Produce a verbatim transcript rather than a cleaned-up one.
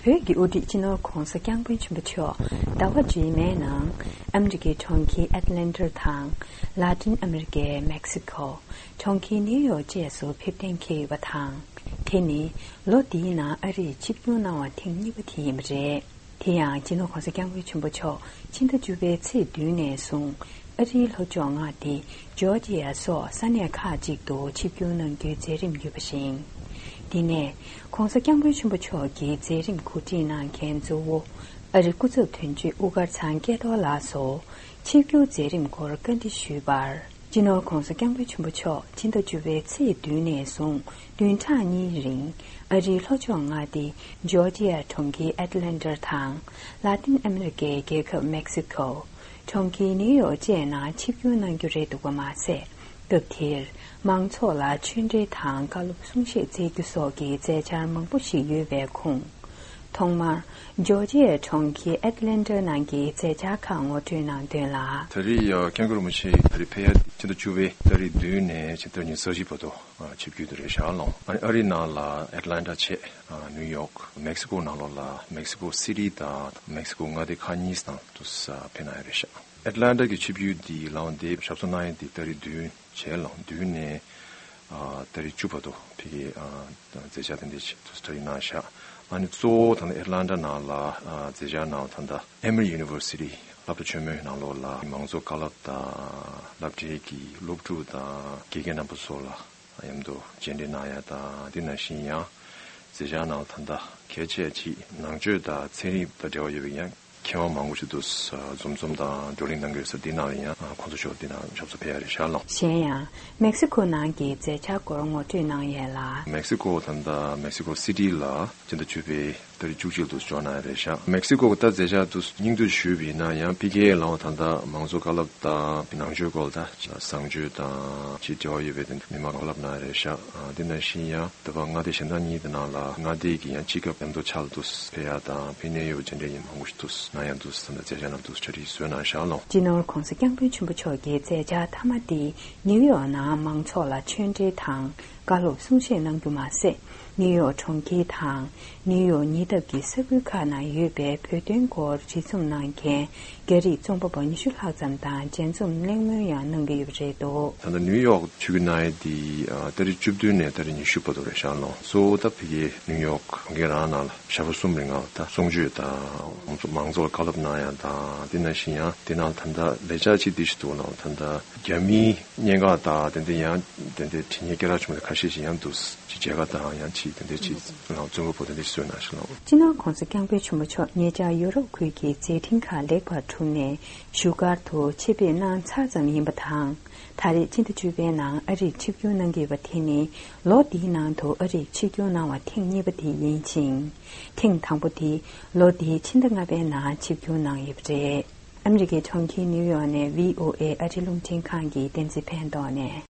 བོད་ཀྱི་དབུ་ཁྲིད་སྤྱི་ནོར་༧གོང་ས་༧སྐྱབས་མགོན་ཆེན་པོ་མཆོག་ཟླ་བ་རྗེས་མའི་ནང་ཨ་མི་རི་ཀའི་གྲོང་ཁྱེར་ཨེཊ་ལན་ཊ་དང་། ལ་ཏིན་ཨ་མི་རི་ཀའི་མེག་སི་ཀོ། གྲོང་ཁྱེར་ནིའུ་ཡོག་བཅས་སུ་ཕེབས་གཏན་འཁེལ་ཡོད་པ་དང་། དེ་ནི་ལོ་འདིའི་ནང་ཨ་རིར་ཆིབས་བསྒྱུར་གནང་བ་ཐེངས་གཉིས་པ་དེ་ཡིན་པ་རེད། དེ་ཡང་སྤྱི་ནོར་༧གོང་ས་༧སྐྱབས་མགོན་ཆེན་པོ་མཆོག་ཕྱི་ཟླ་བཅུ་པའི་ཚེས་བདུན་ནས་བཟུང་ཨ་རིའི་ལྷོ་ཕྱོགས་མངའ་སྡེ་ཇོར་ཇི་ཡ་སོགས་ས་གནས་ཁག་ཅིག་ཏུ་ཆིབས་བསྒྱུར་གནང་རྒྱུའི་མཛད་རིམ་ཡོད་པ་བཞིན། འདི་ནས་༧གོང་ས་༧སྐྱབས་མགོན་ཆེན་པོ་མཆོག་གི་མཛད་རིམ་གོ་སྒྲིག་གནང་མཁན་གཙོ་བོ་ཨ་རི་སྐུ་ཚབ་དོན་གཅོད་དབུ་དཀར་ཚང་སྐལ་རྡོར་ལགས་སུ་ཆིབས་བསྒྱུར་མཛད་རིམ་སྐོར་བཀའ་འདྲི་ཞུས་པར། སྤྱི་ནོར་༧གོང་ས་༧སྐྱབས་མགོན་ཆེན་པོ་མཆོག་ཕྱི་ཟླ་བཅུ་པའི་ཚེས་བདུན་ནས་བཟུང་བདུན་ཕྲག་གཉིས་རིང་ཨ་རིའི་ལྷོ་ཕྱོགས་མངའ་སྡེ་ཇོར་ཇི་ཡ་གྲོང་ཁྱེར་ཨེཊ་ལན་ཊ་དང་། ལ་ཏིན་ཨ་མི་རི་ཀའི་རྒྱལ་ཁབ་མེག་སི་ཀོ། གྲོང་ཁྱེར་ནིའུ་ཡོག་བཅས་ནང་ཆིབས་བསྒྱུར་གནང་རྒྱུ་རེད་འདུག་པ་མ་ཟད། སྐབས་དེར་མང་ཚོགས་ལ་ཆོས་འབྲེལ་དང་བཀའ་སློབ་གསུང་བཤད་སྩལ་རྒྱུ་སོགས་ཀྱི་མཛད་འཆར་མང་པོ་ཞིག་ཡོད་པའི་ཁོངས། ཐོག་མར་ཇོར་ཇི་ཡའི་གྲོང་ཁྱེར་ཨེཊ་ལན་ཊ་ནང་གི་མཛད་འཆར་ཁག་ངོ་སྤྲོད་གནང་དོན་ལ། ད་རེས་ཡ་སྐྱབས་མགོན་རིན་པོ་ཆེ་ད་རེས་ཕེབས་ཡ་ཕྱི་ཟླ་བཅུ་པའི་ཏ་རིག་བདུན་ནས་ཕྱི་ཟླ་ཉི་ཤུ་རྩ་བཞི་བར་དུ་ཆིབས་བསྒྱུར་དུ་རེད་ཤག་ལོ། ཨ་ནི་ཨ་རིའི་ནང་ལ་ཨེཊ་ལན་ཊ་བྱས། ནིའུ་ཡོག། མེག་སི་ཀོ་ནང་ལོགས་ལ་མེག་སི་ཀོ་སི་ཊི་དང་མེག་སི་ཀོ་མངའ་སྡེ་ཁག་གཉིས་དང་དུ་ཕེབས་གནང་ཡ་རེད་ཤག། ཨེཊ་ལན་ཊ་གི་ཆིབས་བསྒྱུར་འདི་ལའང་འདི་ཞབས་སོར་གནང་ཡ་འདི་ཏ་རིག་བདུན་བྱས་ལོ། བདུན་ནས་ཨ་ཏ་རིག་བཅུ་བར་དུ་ཕ་གིའི་ཨ་མཛད་འཆར་དེ་འདྲ་ཞིག་ཏུ་གྲ་སྒྲིག་གནང་ཤག། ཨ་ནི་གཙོ་བོ་ད་ལྟ་ཨེཊ་ལན་ཊ་ནང་ལ་ཨ་མཛད་འཆར་ནང་ད་ལྟ་ཨེ་མི་ཡུ་ནི་ཝར་སི་ཊི་སློབ་གྲྭ་ཆེན་མོའི་ནང་ལོགས་ལ་མང་གཙོ་བཀའ་སློབ་དང་སློབ་གྲྭའི་གི་སློབ་ཕྲུག་དང་དགེ་རྒན་རྣམ་པ་ཚོ་ལ་མཉམ་དུ་མཇལ་འཕྲད་གནང་ཡ་དང་དེ་ནང་བཞིན་ཡང་མཛད་འཆར་ནང་ད་ལྟ་གལ་ཆེ་ཅིག་ནང་ཆོས་དང་ཚན་རིག་དང་འབྲེལ་བ་ཡོད་པའི་ཡང་མཁས་དབང་མང་པོ་ཞིག་ཏུ་འཛོམས་འཛོམས་དང་བགྲོ་གླེང་གནང་གི་ཡོད་ས་འདི་ནང་ལ་ཡང་ཁོང་ཚོ་ཞོགས་འདི་ནང་ཞབས་སོར་ཕེབས་ཡ་རེད་ཤག་ལོ། གཞན་ཡང་མེག་སི་ཀོ་ནང་གི་མཛད་འཆར་སྐོར་ངོ་སྤྲོད་གནང་ཡས་ལ། མེག་སི་ཀོ་ད་ལྟ་མེག་སི་ཀོ་སི་ཊི་ལ་སྤྱི་ཟླ་བཅུ་པའི་ཏ་རིག་བཅུ་གཅིག་ཏུ་འབྱོར་གནང་ཡ་རེད་ཤག། མེག་སི་ཀོ་ད་མཛད་འཆར་དུ་སྙིང་བསྡུས་ཞུས་པ་ཡིན་ན་ཡང་ཕ་གིའི་ལའང་ད་ལྟ་མང་གཙོ་བཀའ་སློབ་དང་ནང་ཆོས་སྐོར་དང་བཟང་སྤྱོད་དང་ཅིག་འབྲེལ་བ་ཡོད་པའི་དེ་མི་མང་བཀའ་སློབ་གནང་ཡ་རེད་ཤག། དེ་ནང་བཞིན་ཡང་། ད་བར་མངའ་སྡེ་གཞན་དག་གཉིས་དེ་ནང་ལ་མངའ་སྡེ་གི་ཡང་སྤྱི་ཁྱབ་མཉམ་དུ་ཕྱག་ལ་དུ་ཕེབས་ཡ་དང་ཕེབས་གནང་ཡོད་པ་མཇལ་འཕྲད་ཡིན་མང་པོ་ཞིག་ཏུ་གནང་ཡ་དུ་ད་ལྟ་མཛད་འཆར་ནང་དུ་གྲ་སྒྲིག་བཟོས་གནང་ཤག་ལོ། སྤྱི་ནོར་༧གོང་ས་༧སྐྱབས་མགོན་ཆེན་པོ་མཆོག་གི་མཛད་འཆར་མཐའ་མ་དེ་ནིའུ་ཡོག་ནང་མང་ཚོགས་ལ་ཆོས་འབྲེལ་དང་བཀའ་སློབ་གསུང་བཤད་གནང་རྒྱུ་མ་ཟད། ནིའུ་ཡོག་གྲོང་ཁྱེར་དང་ནིའུ་ཡོག་ཉེ་འདབས་ཀྱི་ས་ཁུལ་ཁག་ནང་ཡོད་པའི་བོད་དོན་སྐོར་འབྲེལ་འཛོམས་གནང་མཁན། རྒྱ་རིགས་རྩོམ་པ་པོ་ཉི་ཤུ་ལྷག་ཙམ་དང་མཇལ་འཛོམས་གླེང་མོལ་ཡང་གནང་གི་ཡོད་པ་རེད་འདུག། ད་ལྟ་ནིའུ་ཡོག་ཆིབས་བསྒྱུར་གནང་ཡས་དེ་ཨ་ཏ་རིག་བཅུ་བདུན་ནས་ཏ་རིག་ཉི་ཤུ་བར་དུ་རེད་ཤག་ལོ། གཙོ་བོ་ད་ཕ་གིའི་ནིའུ་ཡོག་གྲོང་ཁྱེར་རང་ནང་ལ་ཞག་པོ་གསུམ་རིང་ལ་ད་གསུང་ཆོས་དང་མང་ཚོགས་ལ་བཀའ་སློབ་གནང་ཡ་དང་དེ་ནང་བཞིན་ཡང་དེ་ནང་ད་ལྟ་ལས་འཆར་ཅིག་འདི་ཞིག་འདུག་ལོ། ད་ལྟ་རྒྱ་མིའི་གནད་འགག་དང་དེ་འདྲ་ཡང་དེ་འདྲའི་དྲི་བརྙན་སྐད་གྲགས་ཆེན་པོ་ཁ་ཤས་ཤིག་ཡང་འདུག། ཅིག་མཇལ་ཁ་དང་ཡང་ཅིག་དེ་འདྲ་ཅིག་ལ་རྩོམ་པ་པོ་དེ་འདྲ་ཞིག་བཟོས་གནང་ཤག་ལོ། སྤྱི་ནོར་༧གོང་ས་༧སྐྱབས་མགོན་ཆེན་པོ་མཆོག་ཉེ་ཆར་ཡུ་རོབ་ཁུལ་གྱི་མཛད་འཕྲིན་ཁག་ལེགས་པར་གྲུབ་ནས་བཞུགས་སྒར་དུ་ཆེད་ཕེབས་གནང་ཚར་ཙམ་ཡིན་པ་དང་། ད་རེས་ཕྱི་ཟླ་བཅུ་པའི་ནང་ཨ་རིར་ཆིབས་བསྒྱུར་གནང་གི་ཡོད་པ་དེ་ནི་ལོ་འདིའི་ནང་དུ་ཨ་རིར་ཆིབས་བསྒྱུར་གནང་བ་ཐེངས་གཉིས་པ་དེ་ཡིན་ཞིང་། ཐེངས་དང་པོ་དེ་ལོ་འདིའི་ཕྱི་ཟླ་ལྔ་པའི་ནང་ཆིབས་བསྒྱུར་གནང་ཡོད་པ་རེད། ཨ་མི་རི་ཀའི་གྲོང་ཁྱེར་ནིའུ་ཡོག་ནས་བྷི་ཨོ་ཨེ་ཨ་རི་རླུང་འཕྲིན་ཁང་གི་བསྟན་འཛིན་ཕན་ཐོགས་ནས།